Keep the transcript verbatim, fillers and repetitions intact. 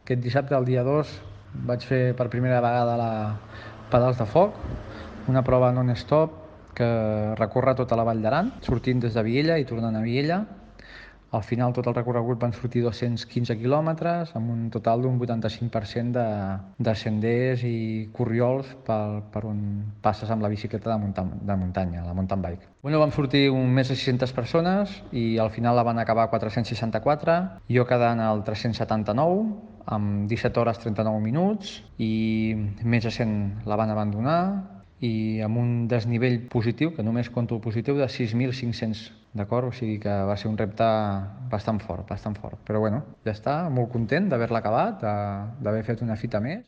Aquest dissabte, el dia dos, vaig fer per primera vegada la Pedals de Foc, una prova non-stop que recorre tota la Vall d'Aran, sortint des de Viella i tornant a Viella. Al final tot el recorregut van sortir dos-cents quinze quilòmetres, amb un total d'un vuitanta-cinc per cent de, de senders i corriols per, per on passes amb la bicicleta de, munta de muntanya, la mountain bike. Bueno, vam sortir un més de sis-centes persones i al final la van acabar quatre-cents seixanta-quatre, jo quedant al tres-cents setanta-nou, amb disset hores trenta-nou minuts, i més de cent la van abandonar, i amb un desnivell positiu, que només conto el positiu, de sis mil cinc-cents, d'acord? O sigui que va ser un repte bastant fort, bastant fort. Però bueno, ja està, molt content d'haver-la acabat, d'haver fet una fita més.